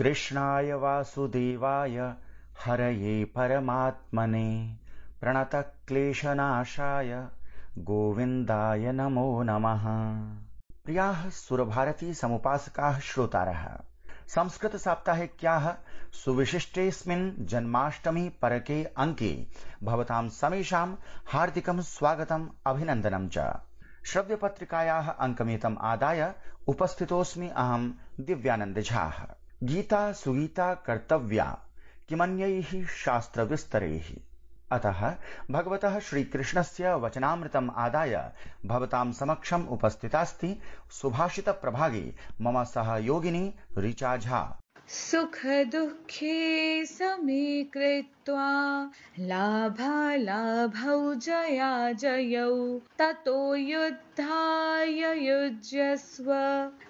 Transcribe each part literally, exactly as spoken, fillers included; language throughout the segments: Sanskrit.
कृष्णाय वासुदेवाय हरये परमात्मने प्रणतक्लेशनाशाय गोविन्दाय नमो नमः। प्रियाः सुरभारती समुपासकाः श्रोतारः, संस्कृत साप्ताहिक्याः सुविशिष्टेऽस्मिन् जन्माष्टमी परके अंके भवतां समेषां हार्दिकं स्वागतम् अभिनन्दनं च। श्रव्यपत्रिकायाः अङ्कमेतम् आदाय उपस्थितोऽस्मि अहं दिव्यानन्द झाः। गीता सुगीता कर्तव्या किमन्यैः शास्त्रविस्तरैः। अतः भगवतः श्रीकृष्णस्य वचनामृतम् आदाय भवतां समक्षम् उपस्थितास्ति सुभाषित प्रभागे मम सहयोगिनी ऋचा झा। सुख दुःखे समे कृत्वा लाभालाभौ जया जयौ ततो युद्धाय युज्यस्व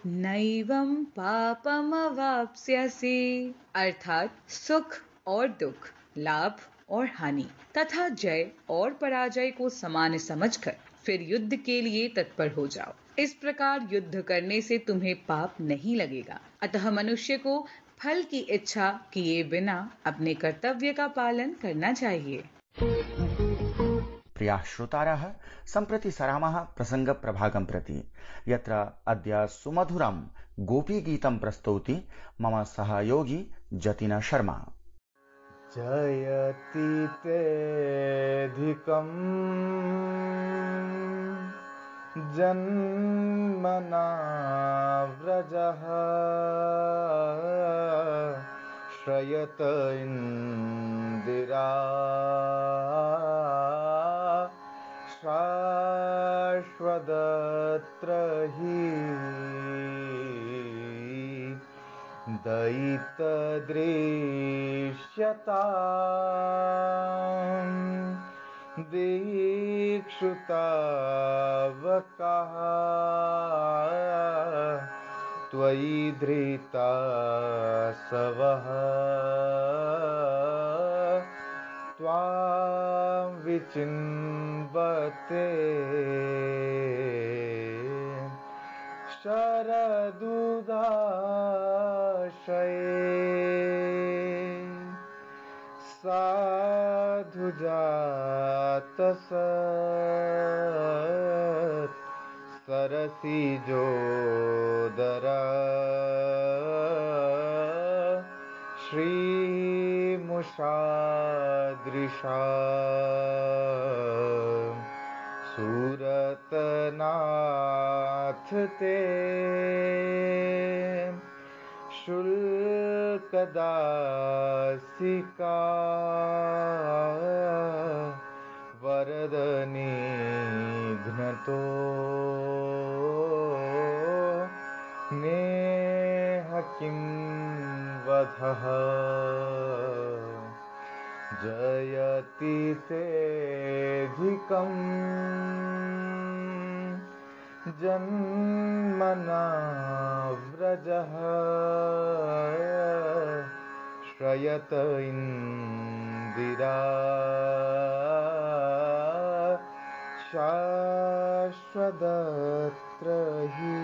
नैवं पापमवाप्स्यसि। अर्थात सुख और दुख, लाभ और हानि तथा जय और पराजय को समान समझकर फिर युद्ध के लिए तत्पर हो जाओ। इस प्रकार युद्ध करने से तुम्हें पाप नहीं लगेगा। अतः मनुष्य को फल की इच्छा किए बिना अपने कर्तव्य का पालन करना चाहिए। प्रियाः श्रोतारः, सम्प्रति सरामः प्रसंग प्रभागं प्रति, यत्र अद्य सुमधुरं गोपीगीतं प्रस्तौति मम सहयोगी जतिन शर्मा। जयति तेऽधिकं जन्मना व्रजः श्रयत इन्दिरा शाश्वतत्र हि दयितदृश्यताम् दीक्षुतावकः त्वयि धृता सवः त्वां विचिन्वते शरदुदाशये साधुजातसत् सरसिजोदरा श्रीमुषादृशा सुरतनाथ ते शुल्कदासिका वरदनिघ्नतो नेह किं वधः जयति तेऽधिकं जन्मना व्रजः श्रयत इन्दिरा शाश्वतत्र हि।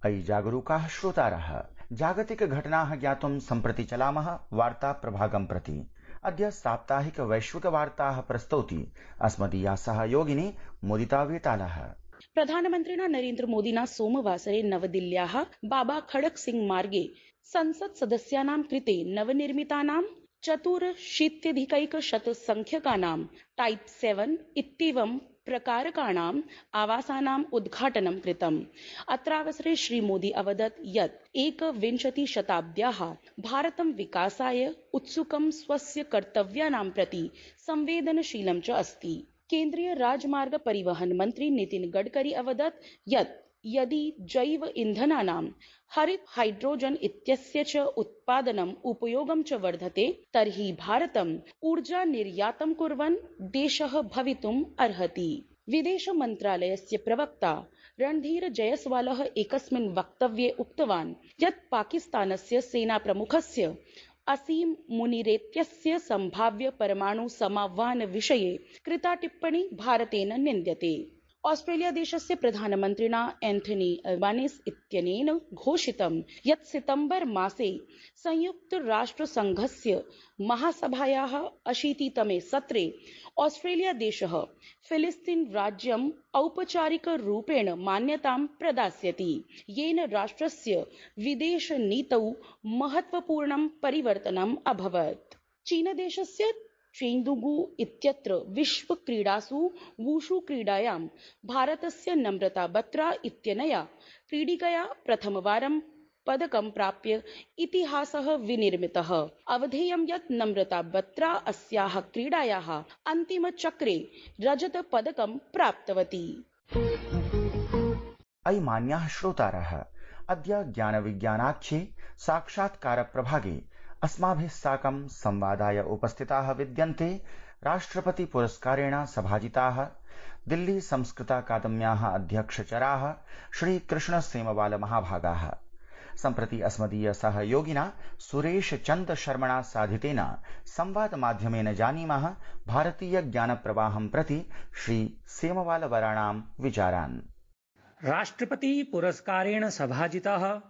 अयि जागरूकाः श्रोतारः, जागतिक घटनाः ज्ञातुं सम्प्रति चलामः वार्ता प्रभागं प्रति। अद्य साप्ताहिक वैश्विक वार्ताः प्रस्तौति अस्मदीया सहयोगिनी मुदिता वेतालः। प्रधानमन्त्रिणा नरेन्द्र मोदिना सोमवासरे नवदिल्ल्याः बाबा खड़क सिंह मार्गे संसत् सदस्यानां कृते नवनिर्मितानां चतुरशीत्यधिकैकशत संख्यकानां टाइप सेवन इत्येवं प्रकारकाणाम् आवासानाम् उद्घाटनं कृतम्। अत्रावसरे श्रीमोदी अवदत् यत् एकविंशतिशताब्द्याः भारतं विकासाय उत्सुकं स्वस्य कर्तव्यानां प्रति संवेदनशीलं च अस्ति। केन्द्रीय राजमार्ग परिवहन मंत्री नितिन गडकरी अवदत् यत् यदि जैव ईन्धनानां हरित हाइड्रोजन इत्यस्य च उत्पादनम् उपयोगं च वर्धते तर्हि भारतम् ऊर्जा निर्यातं कुर्वन् देशः भवितुम् अर्हति। विदेश मन्त्रालयस्य प्रवक्ता रणधीर जयस्वालः एकस्मिन् वक्तव्ये उक्तवान् यत् पाकिस्तानस्य सेनाप्रमुखस्य असीम मुनिरेत्यस्य संभाव्य परमाणु समाह्वान विषये कृता टिप्पणी भारतेन निन्द्यते। ऑस्ट्रेलिया देशस्य प्रधानमन्त्रिणा एन्थनी अल्बानीस् इत्यनेन घोषितं यत् सितम्बर मासे संयुक्तराष्ट्रसङ्घस्य महासभायाः अशीतितमे सत्रे ऑस्ट्रेलिया देशः फिलिस्तीन राज्यम् औपचारिकरूपेण मान्यतां प्रदास्यति, येन राष्ट्रस्य विदेशनीतौ महत्वपूर्णं परिवर्तनम् अभवत्। चीनदेशस्य चेङ्गडू इत्यत्र विश्वक्रीडासु वुशु क्रीडायां भारतस्य नम्रता बत्रा इत्यनया क्रीडिकया प्रथमवारं पदकं प्राप्य इतिहासः विनिर्मितः। अवधेयं यत् नम्रता बत्रा अस्याः क्रीडायाः अन्तिमचक्रे रजतपदकं प्राप्तवती। अयि मान्याः श्रोतारः, अद्य ज्ञानविज्ञानाख्ये साक्षात्कारप्रभागे अस्माभिः साकं संवादाय उपस्थिताः विद्यन्ते राष्ट्रपति पुरस्कारेण सभाजिताः दिल्ली संस्कृताकादम्याः अध्यक्षचराः श्री कृष्ण सेमवाल महाभागाः। सम्प्रति अस्मदीय सहयोगिना सुरेश चन्द शर्मणा साधितेन संवाद माध्यमेन जानीमः भारतीय ज्ञान प्रवाहं प्रति श्री सेमवाल वराणां विचारान्। राष्ट्रपति पुरस्कारेण सभाजितः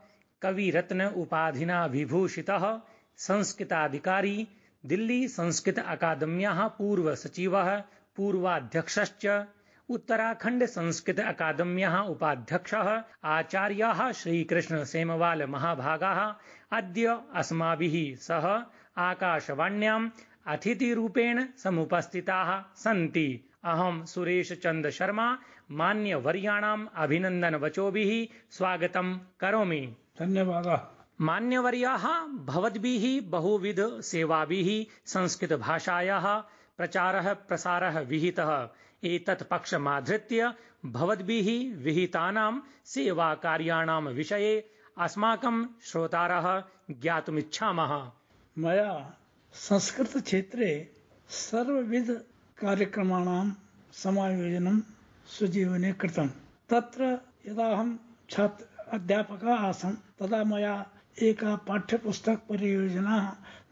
कविरत्न उपाधिना विभूषितः संस्कृताधिकारी दिल्ली संस्कृत अकादम्याः पूर्व सचिवः पूर्वाध्यक्षश्च उत्तराखण्ड संस्कृत अकादम्याः उपाध्यक्षः आचार्याः श्रीकृष्ण सेमवाल महाभागाः अद्य अस्माभिः सह आकाशवाण्याम् अतिथिरूपेण समुपस्थिताः सन्ति। अहं सुरेश चन्द शर्मा मान्यवर्याणाम् अभिनन्दनवचोभिः स्वागतं करोमि। धन्यवादः। मान्यवर्याः भवद्भिः बहुविध सेवाभिः संस्कृतभाषायाः प्रचारः प्रसारः विहितः। एतत् पक्षमाधृत्य भवद्भिः विहितानां सेवाकार्याणां विषये अस्माकं श्रोतारः ज्ञातुमिच्छामः। मया संस्कृतक्षेत्रे सर्वविध कार्यक्रमाणां समायोजनं स्वजीवने कृतं। तत्र यदा अहं छात्र अध्यापकः आसम् तदा मया एका पाठ्यपुस्तक परियोजना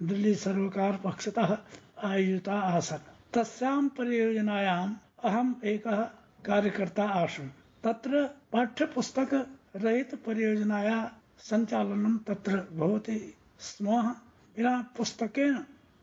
दिल्ली सर्वकार पक्षतः आयोजिता आसन्। तस्यां परियोजनायाम् अहम् एकः कार्यकर्ता आसम्। तत्र पाठ्यपुस्तक रहित परियोजनाया सञ्चालनं तत्र भवति स्म। विना पुस्तकेन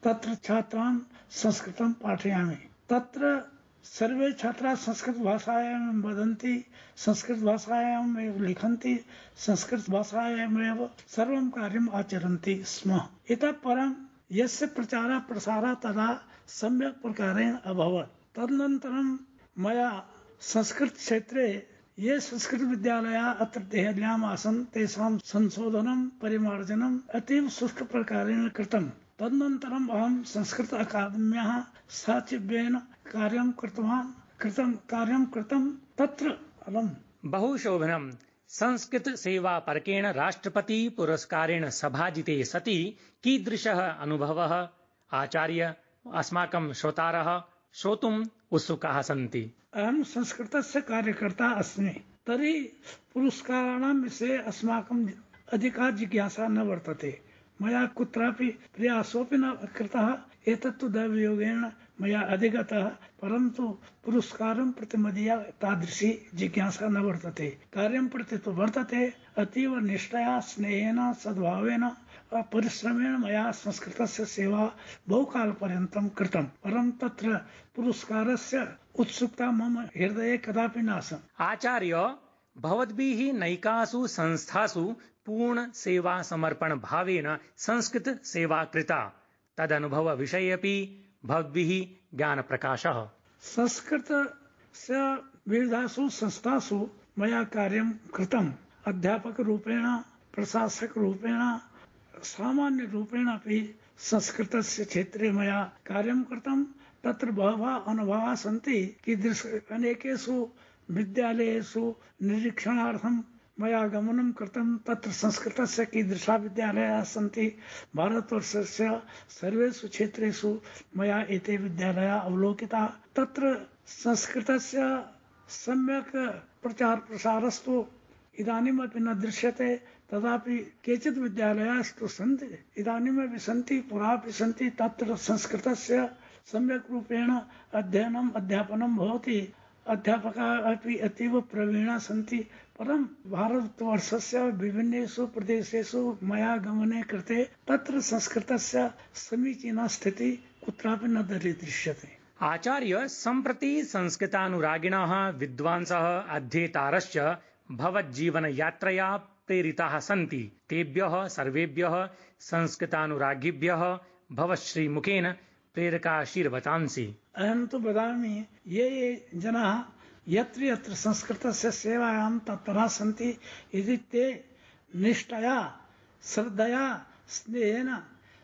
तत्र छात्रान् संस्कृतं पाठयामि। तत्र सर्वे छात्राः संस्कृत भाषायां वदन्ति, संस्कृत भाषायाम् एव लिखन्ति, संस्कृत भाषायामेव सर्वं कार्यम् आचरन्ति स्म। इतः परं यस्य प्रचारः प्रसारः तदा सम्यक् प्रकारेण अभवत्। तदनन्तरं मया संस्कृत क्षेत्रे ये संस्कृत विद्यालयाः अत्र देहल्याम् आसन् तेषां संशोधनं परिमार्जनम् अतीव सुष्ठु प्रकारेण कृतम्। तदनन्तरम् अहं संस्कृत अकादम्याः सचिवेन कार्यं कृतवान् कृतं कार्यं कृतं तत्र अलम्। बहुशोभनम्। संस्कृत सेवा परकेण राष्ट्रपति पुरस्कारेण सभाजिते सति कीदृशः अनुभवः आचार्य अस्माकं श्रोतारः श्रोतुम् उत्सुकाः सन्ति। अहं संस्कृतस्य कार्यकर्ता अस्मि, तर्हि पुरस्काराणां विषये अस्माकम् अधिका जिज्ञासा न वर्तते। मया कुत्रापि प्रयासोऽपि न कृतः। एतत्तु दैवयोगेन मया अधिगतः, परन्तु पुरस्कारं प्रति मदीया तादृशी जिज्ञासा न वर्तते। कार्यं प्रति तु वर्तते। अतीव निष्ठया स्नेहेन सद्भावेन परिश्रमेण मया संस्कृतस्य सेवा बहुकालपर्यन्तं कृतं, परं तत्र पुरस्कारस्य उत्सुकता मम हृदये कदापि नासन्। आचार्य, भवद्भिः नैकासु संस्थासु पूर्ण सेवा समर्पण भावेन संस्कृत सेवा कृता। तदनुभव विषये अपि भवद्भिः ज्ञान प्रकाशः। संस्कृतस्य विविधासु संस्थासु मया कार्यं कृतम्। अध्यापक रूपेण, प्रशासक रूपेण, सामान्य रूपेण अपि संस्कृतस्य क्षेत्रे मया कार्यं कृतं। तत्र बहवः अनुभवाः सन्ति। कीदृश अनेकेषु विद्यालयेषु निरीक्षणार्थं मया गमनं कृतं। तत्र संस्कृतस्य कीदृशाः विद्यालयाः सन्ति, भारतवर्षस्य सर्वेषु क्षेत्रेषु मया एते विद्यालयाः अवलोकिताः। तत्र संस्कृतस्य सम्यक् प्रचार प्रसारस्तु इदानीमपि न दृश्यते, तदापि केचित् विद्यालयास्तु सन्ति, इदानीमपि सन्ति, पुरापि सन्ति। तत्र संस्कृतस्य सम्यक् रूपेण अध्ययनम् अध्यापनं भवति। अध्यापकाः अपि अतीव प्रवीणाः सन्ति, परं भारतवर्षस्य विभिन्नेषु प्रदेशेषु मया गमने कृते तत्र संस्कृतस्य समीचीना स्थितिः कुत्रापि न दरीदृश्यते। आचार्य, सम्प्रति संस्कृतानुरागिणः विद्वांसः अध्येतारश्च भवज्जीवनयात्रया प्रेरिताः सन्ति। तेभ्यः सर्वेभ्यः संस्कृतानुरागिभ्यः भवश्रीमुखेन प्रेरकाशीर्वचांसि। अहं तु वदामि, ये ये जनाः यत्र यत्र संस्कृतस्य सेवायां तत्पराः सन्ति, यदि ते निष्ठया श्रद्धया स्नेहेन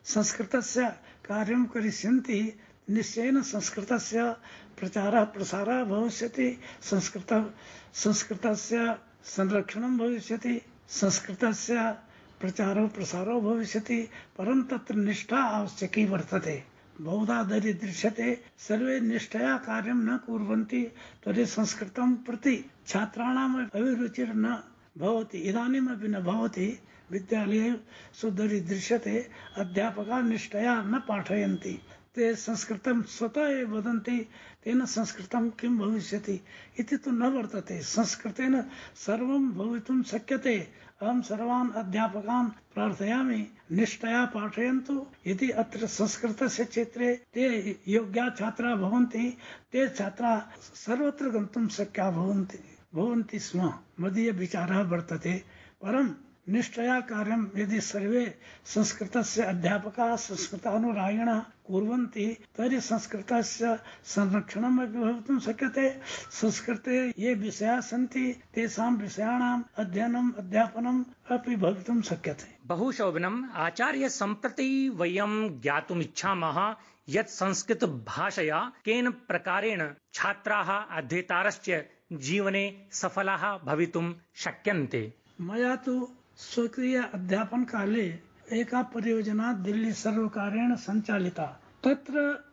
संस्कृतस्य कार्यं करिष्यन्ति, निश्चयेन संस्कृतस्य प्रचारः प्रसारः भविष्यति, संस्कृत संस्कृतस्य संरक्षणं भविष्यति, संस्कृतस्य प्रचारो प्रसारो भविष्यति। परं तत्र निष्ठा आवश्यकी वर्तते। बहुधा दरीदृश्यते, सर्वे निष्ठया कार्यं न कुर्वन्ति, तर्हि संस्कृतं प्रति छात्राणाम् अभिरुचिर् न भवति, इदानीमपि न भवति। विद्यालयेषु दरीदृश्यते, अध्यापकाः निष्ठया न पाठयन्ति, ते संस्कृतं स्वतः एव वदन्ति, तेन संस्कृतं किं भविष्यति इति तु न वर्तते। संस्कृतेन सर्वं भवितुं शक्यते। अहं सर्वान् अध्यापकान् प्रार्थयामि, निष्ठया पाठयन्तु। यदि अत्र संस्कृतस्य क्षेत्रे ते योग्याः छात्राः भवन्ति, ते छात्राः सर्वत्र गन्तुं शक्याः भवन्ति भवन्ति स्म। मदीय विचारः वर्तते। परं निष्ठया कार्यं यदि सर्वे संस्कृतस्य अध्यापकाः संस्कृतानुरागिणः कुर्वन्ति, तर्हि संस्कृतस्य संरक्षणम् अपि भवितुं शक्यते। संस्कृते ये विषयाः सन्ति, तेषां विषयाणाम् अध्ययनम् अध्यापनम् अपि भवितुं शक्यते। बहु शोभनम्। आचार्य, सम्प्रति वयं ज्ञातुमिच्छामः यत् संस्कृत भाषया केन प्रकारेण छात्राः अध्येतारश्च जीवने सफलाः भवितुं शक्यन्ते। मया तु स्वकीय अध्यापन काले एका परियोजना दिल्ली सर्वकारेण सञ्चालिता। तत्र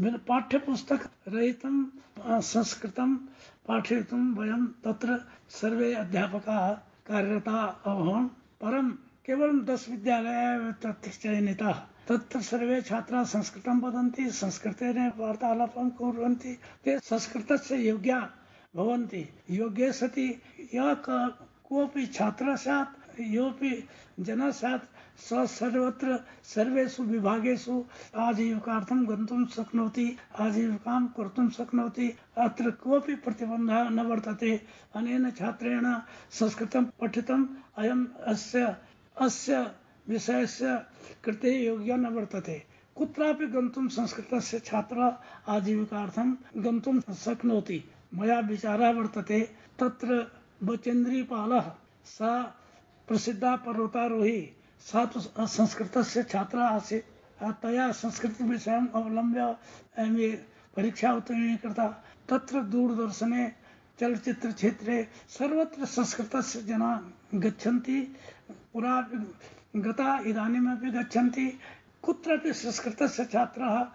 पाठ्यपुस्तक रहितं संस्कृतं पाठयितुं वयं तत्र सर्वे अध्यापकाः कार्यरताः अभवन्। परं केवलं दश विद्यालयाः तत्र चयनिताः। तत्र सर्वे छात्राः संस्कृतं वदन्ति, संस्कृतेन वार्तालापं कुर्वन्ति, ते संस्कृतस्य योग्याः भवन्ति। योग्ये सति यः कोऽपि छात्रः स्यात्, योऽपि जनः स्यात्, स सर्वत्र सर्वेषु विभागेषु आजीविकार्थं गन्तुं शक्नोति, आजीविकां कर्तुं शक्नोति। अत्र कोऽपि प्रतिबन्धः न वर्तते। अनेन छात्रेण संस्कृतं पठितम् अयम् अस्य अस्य विषयस्य कृते योग्यः न वर्तते। कुत्रापि गन्तुं संस्कृतस्य छात्रः आजीविकार्थं गन्तुं शक्नोति। मया विचारः वर्तते, तत्र बचेन्द्रीपालः सा प्रसिद्धा पर्वतारोही, सा तु संस्कृतस्य छात्रा आसीत्। तया संस्कृतविषयम् अवलम्ब्य एम् ए परीक्षा उत्तीर्णा कृता। तत्र दूरदर्शने चलच्चित्रक्षेत्रे सर्वत्र संस्कृतस्य जनाः गच्छन्ति, पुरा गता इदानीमपि गच्छन्ति। कुत्रापि संस्कृतस्य छात्राः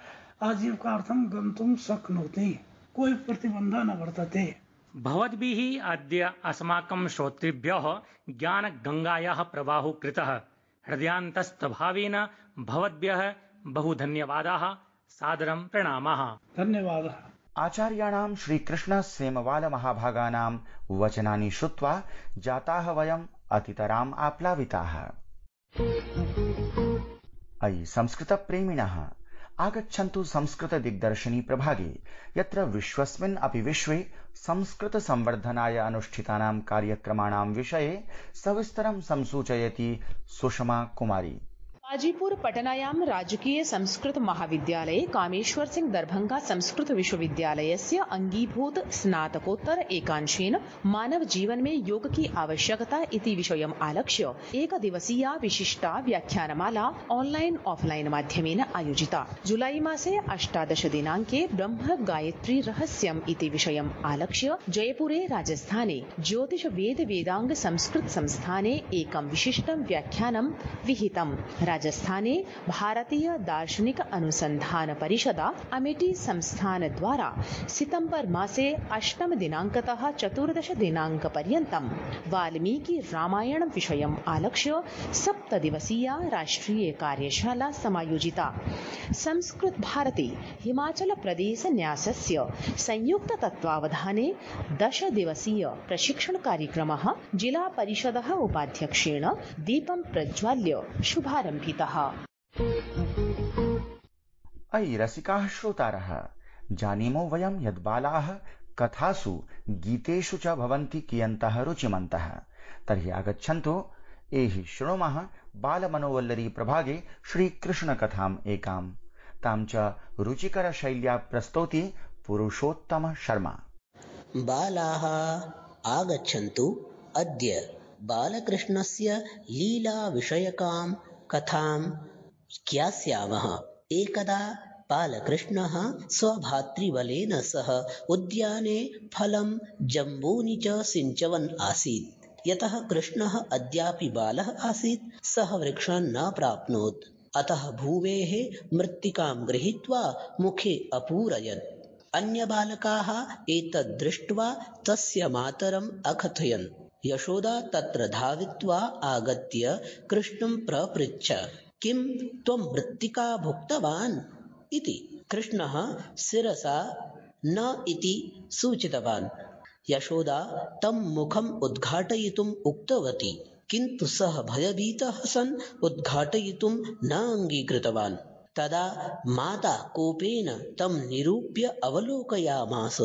आजीविकार्थं गन्तुं शक्नोति, कोई प्रतिबन्धः न वर्तते। भवद्भिः अद्य अस्माकं श्रोतृभ्यः ज्ञानगङ्गायाः प्रवाहो कृतः। हृदयान्तस्थभावेन भवद्भ्यः बहु धन्यवादाः, सादरं प्रणामाः। धन्यवादः। आचार्याणां श्रीकृष्ण सेमवाल महाभागानां वचनानि श्रुत्वा जाताः वयम् अतितराम् आप्लाविताः। अयि संस्कृतप्रेमिणः, आगच्छन्तु संस्कृत दिग्दर्शिनी प्रभागे, यत्र विश्वस्मिन् अपि विश्वे संस्कृत संवर्धनाय अनुष्ठितानां कार्यक्रमाणां विषये सविस्तरं संसूचयति सुषमा कुमारी। हाजीपुर पटनायां राजकीय संस्कृत महाविद्यालये कामेश्वर सिंह दरभंगा संस्कृत विश्वविद्यालयस्य अंगीभूत स्नातकोत्तर एकांशेन मानव जीवन में योग की आवश्यकता इति विषयम् आलक्ष्य एक दिवसीया विशिष्टा व्याख्यानमाला ऑनलाइन ऑफलाइन माध्यमेन आयोजिता। जुलाई मासे अष्टादश दिनांके ब्रह्म गायत्री रहस्यम् इति विषयम् आलक्ष्य जयपुरे राजस्थाने ज्योतिष वेद वेदांग संस्कृत संस्थाने एकं विशिष्टं व्याख्यानं विहितम्। राजस्थाने भारतीय दार्शनिक अनुसंधान परिषदा अमेठी संस्थान द्वारा सितंबर मासे अष्टम दिनांकतः चतुर्दश दिनांक पर्यन्तं वाल्मीकि रामायण विषयम् आलक्ष्य सप्तदिवसीया राष्ट्रीय कार्यशाला समायोजिता। संस्कृत भारती हिमाचल प्रदेश न्यासस्य संयुक्त तत्त्वावधाने दश दिवसीय प्रशिक्षण कार्यक्रमः जिला परिषदः उपाध्यक्षेण दीपं प्रज्वाल्य शुभारम्भितः। अयि रसिकाः श्रोतारः, जानीमो वयं यद् बालाः कथासु गीतेषु च भवन्ति कियन्तः रुचिमन्तः। तर्हि आगच्छन्तु एहि शृणुमः बालमनोवल्लरी प्रभागे श्रीकृष्णकथाम् एकाम्। तां च रुचिकरशैल्या प्रस्तौति पुरुषोत्तम शर्मा। बालाः आगच्छन्तु, अद्य बालकृष्णस्य लीलाविषयकां कथां ज्ञास्यामः। एकदा बालकृष्णः स्वभातृबलेन सह उद्याने फलं जम्बूनि च सिञ्चवन् आसीत्। यतः कृष्णः अद्यापि बालः आसीत्, सः वृक्षान् न प्राप्नोत्। अतः भूमेः मृत्तिकां गृहीत्वा मुखे अपूरयत्। अन्यबालकाः एतद् दृष्ट्वा तस्य मातरम् अकथयन्। यशोदा तत्र धावित्वा आगत्य कृष्णं प्रपृच्छ, किं त्वं मृत्तिका भुक्तवान् इति। कृष्णः शिरसा न इति सूचितवान्। यशोदा तं मुखम् उद्घाटयितुम् उक्तवती, किन्तु सः भयभीतः सन् उद्घाटयितुं न अङ्गीकृतवान्। तदा माता कोपेन तं निरूप्य अवलोकयामास।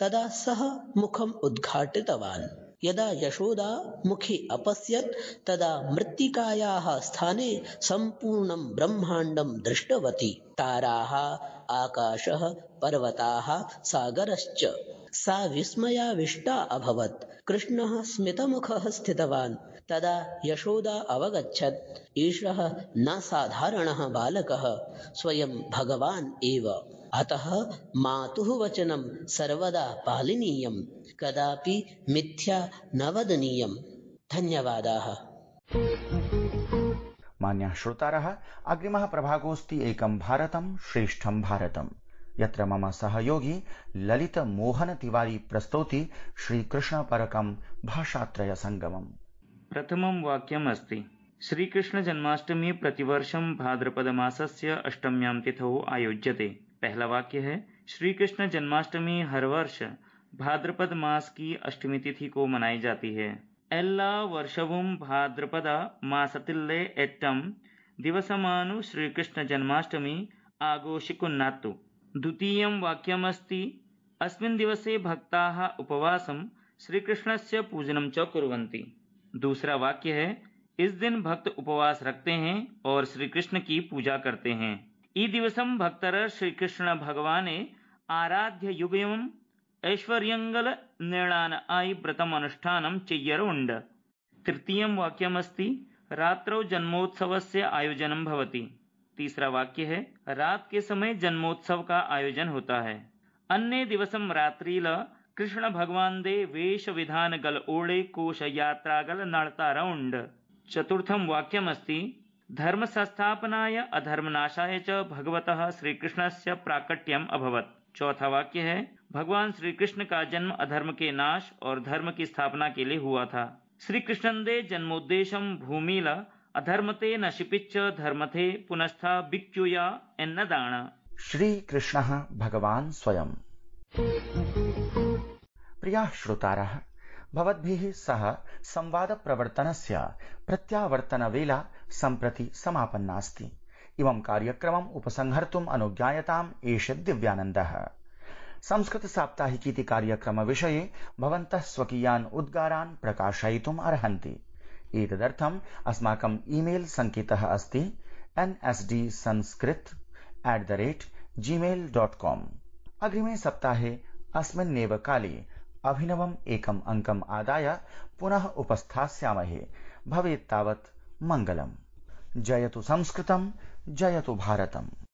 तदा सः मुखम् उद्घाटितवान्। यदा यशोदा मुखे अपश्यत् तदा मृत्तिकायाः स्थाने सम्पूर्णं ब्रह्माण्डं दृष्टवती। ताराः, आकाशः, पर्वताः, सागरश्च। सा विस्मयाविष्टा अभवत्। कृष्णः स्मितमुखः स्थितवान्। तदा यशोदा अवगच्छत्, एषः न साधारणः बालकः, स्वयं भगवान् एव। अतः मातुः वचनं सर्वदा पालनीयं, कदापि मिथ्या न वदनीयम्। धन्यवादाः। मान्याः श्रोतारः, अग्रिमः प्रभागोऽस्ति एकं भारतं श्रेष्ठं भारतं, यत्र मम सहयोगी ललित मोहन तिवारी प्रस्तौति श्रीकृष्णपरकं भाषात्रयसङ्गमम्। प्रथमं वाक्यम् अस्ति, श्रीकृष्ण जन्माष्टमी प्रतिवर्षं भाद्रपदमासस्य अष्टम्यां तिथौ आयोज्यते। पहला वाक्य है, श्री कृष्ण जन्माष्टमी हर वर्ष भाद्रपद मास की अष्टमी तिथि को मनाई जाती है। एल्ला वर्षवुम भाद्रपद मासतिल्ले एट्टम दिवसमानु श्रीकृष्ण जन्माष्टमी आघोषिकुन्नात्तु। द्वितीयं वाक्यमस्ति, अस्मिन् दिवसे भक्ताः उपवासं श्रीकृष्णस्य पूजनं च कुर्वन्ति। दूसरा वाक्य है, इस दिन भक्त उपवास रखते हैं और श्री कृष्ण की पूजा करते हैं। ई दिवसम भक्तर श्री कृष्ण भगवाने आराध्य युगयम ऐश्वर्यंगल निर्णान आई व्रतम अनुष्ठानम चेय्यरुंड। तृतीयं वाक्यमस्ति, रात्रौ जन्मोत्सवस्य आयोजनं भवति। तीसरा वाक्य है, रात के समय जन्मोत्सव का आयोजन होता है। अन्य दिवसम रात्रिल कृष्ण भगवान दे वेश विधान गल ओड़े कोश यात्रा गल नड़तारउंड। चतुर्थं वाक्यमस्ति, धर्म संस्थापनाय अधर्मनाशाय च भगवतः श्रीकृष्णस्य प्राकट्यम अभवत्। चौथा वाक्य है, भगवान श्री कृष्ण का जन्म अधर्म के नाश और धर्म की स्थापना के लिए हुआ था। श्री कृष्णन्दे जन्मोद्देशम भूमिल अधर्मते नशिपिच्च धर्मथे पुनस्था भिक्षुया एन्नदान। श्री कृष्णः भगवान् स्वयं। प्रियाः श्रोतारः, भवद्भिः सह संवादप्रवर्तनस्य प्रत्यावर्तनवेला सम्प्रति समापन्नास्ति। इमं कार्यक्रमम् उपसंहर्तुम् अनुज्ञायताम् एष दिव्यानन्दः। संस्कृतसाप्ताहिकीति कार्यक्रमविषये भवन्तः स्वकीयान् उद्गारान् प्रकाशयितुम् अर्हन्ति। एतदर्थम् अस्माकम् ईमेल् सङ्केतः अस्ति N S D Sanskrit at the rate Gmail dot com. अग्रिमे सप्ताहे अस्मिन्नेव काले अभिनवम् एकम् अङ्कम् आदाय पुनः उपस्थास्यामहे। भवेत् तावत् मङ्गलम्। जयतु संस्कृतं, जयतु भारतम्।